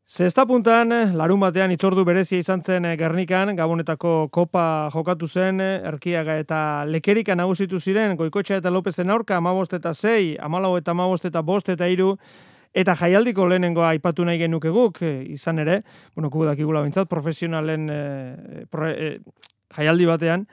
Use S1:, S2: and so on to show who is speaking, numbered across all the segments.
S1: Zesta puntan, larun batean itzordu berezia izan zen Gernikan, Gabonetako kopa jokatu zen, Erkiaga eta Lekerika nagusitu ziren, Goikoetxea eta Lopezen aurka, 15-6, 14-15-5 eta 3, eta jaialdiko lehenengoa aipatu nahi genuke guk, izan ere, gu dakigula bintzat, profesionalen jaialdi batean,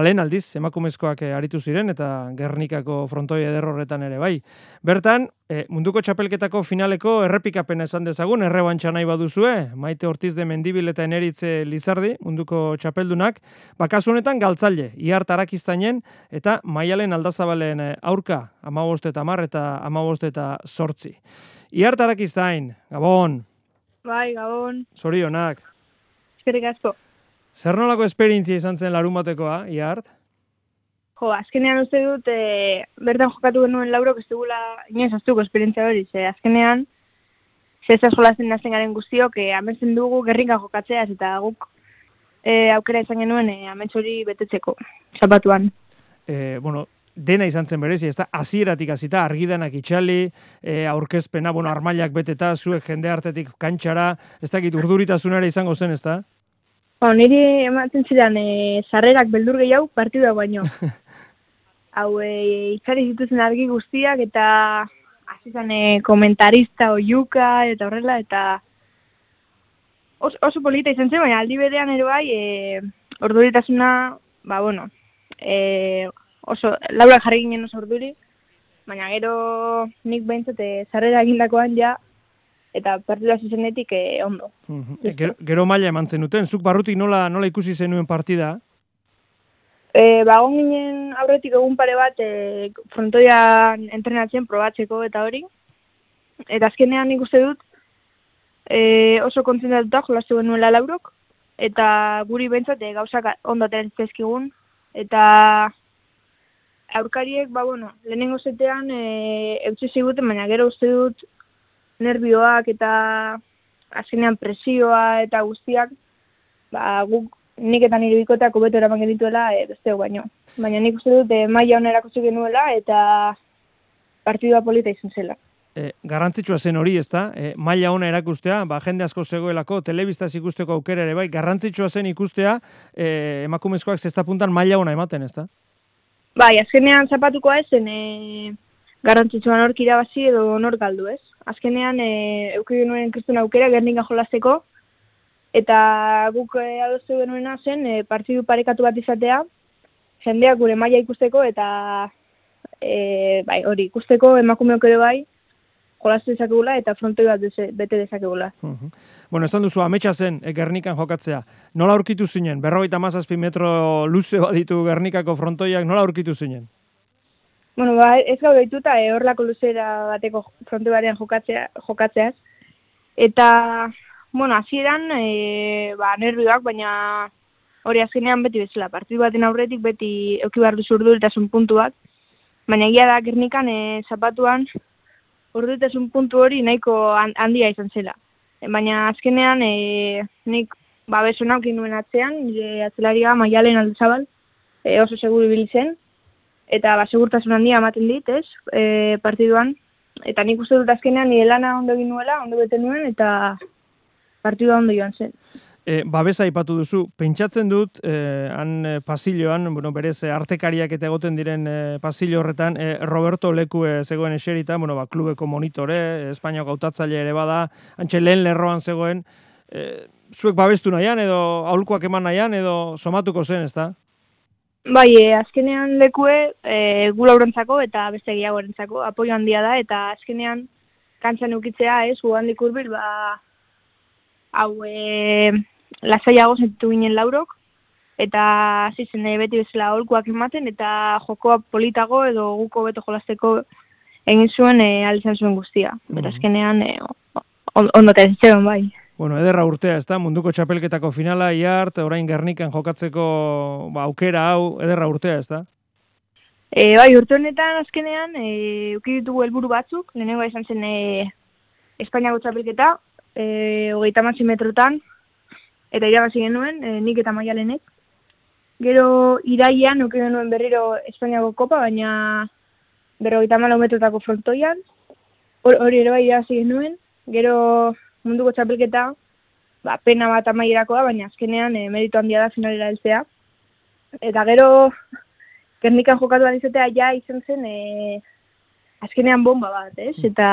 S1: lehen aldiz, emakumezkoak aritu ziren, eta Gernikako frontoi eder horretan ere bai. Bertan, munduko txapelketako finaleko errepikapena esan dezagun, errebantxa nahi baduzue, Maite Ortiz de Mendibil eta Eneritze Lizardi, munduko txapeldunak, kasu honetan galtzaile, Iart Arakiztainen eta Maialen Aldazabalen aurka, 15-10 eta 15-8. Iart Arakiztain, Gabon.
S2: Bai, Gabon.
S1: Zorionak.
S2: Eskerrik asko.
S1: Zer nolako esperientzia izan zen larun batekoa, Iart?
S2: Azkenean uste dut, bertan jokatu genuen laurok ez dugula inoiz aztuko esperientzia hori. Azkenean, zezaz jolazen nazten garen guztiok, ametsen dugu Gernikan jokatzeaz, eta guk aukera izan genuen amets hori betetzeko, zapatuan.
S1: Dena izan zen berezi, ez da, hasieratik hasita argidanak itxali, aurkezpena, armailak beteta, zuek jende hartetik kantxara, ez dakit urduritasunara izango zen, ez da?
S2: Niri ematen zidan, sarrerak beldur gehiago partidua baino. Hau, itzari zituzen argi guztiak, eta azizan komentarista oiuka, eta horrela, eta oso polita izan zen, baina aldi berean ere bai, urduritasuna, oso, laura jarri ginen oso urduri, baina gero nik behintzat sarrera egindakoan ja, eta partida zuzenetik ondo.
S1: Gero maila eman zenuten, zuk barrutik nola ikusi zenuen partida?
S2: Bagon ginen aurretik egun pare bat frontoian entrenatzen probatzeko eta hori. Eta azkenean nik uste dut oso kontzentratuta jolastu genuela laurok, eta guri behintzat gauzak ondo ateratzezkigun. Eta aurkariek, lehenengo zetean eutxe ziguten, baina gero uste dut nervioak eta azkenean presioa eta guztiak, guk nik eta nire bikoteak hobeto eraman genituela besteok baino. Baina nik uste dut maila hona erakutsi genuela eta partidua polita izan zela.
S1: Garrantzitsua zen hori, ezta? Maila hona erakustea, jende asko zegoelako, telebistaz ikusteko aukera ere bai, garrantzitsua zen ikustea emakumezkoak zesta puntan maila hona ematen, ezta?
S2: Bai, azkenean zapatukoa ezen garrantzitsua nork irabazi edo nork galdu, ez? Azkenean, euki genuen kristun aukera Gernikan jolasteko, eta guk adostu genuena zen partidu parekatu bat izatea, jendeak gure maila ikusteko, eta hori ikusteko emakumeok ere bai, jolastu dezakegula eta frontoi bat bete dezakegula.
S1: Esan duzu, ametsa zen Gernikan jokatzea. Nola aurkitu zinen? 57 metro luze baditu Gernikako frontoiak, nola aurkitu zinen?
S2: Ez gau deituta horlako luzera bateko fronte barean jokatzeaz. Eta, hasieran, nervioak, baina hori azkenean beti bezala. Partidu baten aurretik beti euki behar duzu urduritasun puntu bat. Baina egia da Gernikan zapatuan urduritasun puntu hori nahiko handia izan zela. Baina azkenean nik beso naukin nuen atzean, nire atzelaria Maialen Aldazabal oso seguru ibili zen. Eta segurtasun handia ematen dit, partiduan. Eta nik uste dut azkenean nire lana ondo egin nuela, ondo bete nuen, eta partidua ondo joan zen.
S1: Babesa aipatu duzu, pentsatzen dut, han pasilloan, berez artekariak eta egoten diren pasillo horretan, Roberto Lekue zegoen eserita, klubeko monitore, Espainiako hautatzaile ere bada, antxe lehen lerroan zegoen, zuek babestu nahian, edo aholkuak eman nahian, edo somatuko zen, ezta?
S2: Bai, azkenean Lekue gula urentzako eta beste gehiago erentzako apoio handia da, eta azkenean kantzan eukitzea, gugandik urbil, lasaiago sentitu ginen laurok, eta zizen beti bezala aholkuak ematen, eta jokoa politago edo guko beto jolasteko egin zuen alizan zuen guztia. Eta azkenean ondotea zitzen bai.
S1: Ederra urtea, ez da, munduko txapelketako finala, Iart, orain Gernikan jokatzeko aukera hau, ederra urtea, ez da?
S2: Bai, urte honetan azkenean, euki ditugu helburu batzuk, lehenengo izan zen Espainiako txapelketa, 30 metrotan, eta irabazi genuen, nik eta Maialenek. Gero irailean, euki genuen berriro Espainiako kopa, baina 54 metrotako frontoian, hori ere bai irabazi genuen. Gero munduko txapelketa, pena bat amaierakoa, baina azkenean meritu handia da finalera heltzea. Eta gero, Gernikan jokatu izatea ja izan zen azkenean bomba bat, ez? Eta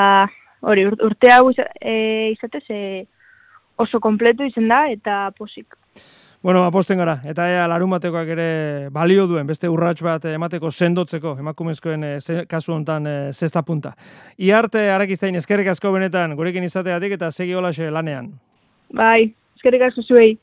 S2: hori, urte hau izatez oso kompletu izan da eta posik.
S1: Bueno, aposten gara, eta larunbatekoak ere balio duen, beste urrats bat emateko sendotzeko, emakumezkoen kasu honetan zesta punta. Iarte Arakiztain eskerrik asko benetan gurekin izateatik eta segi holaxe lanean.
S2: Bai, eskerrik asko zuei.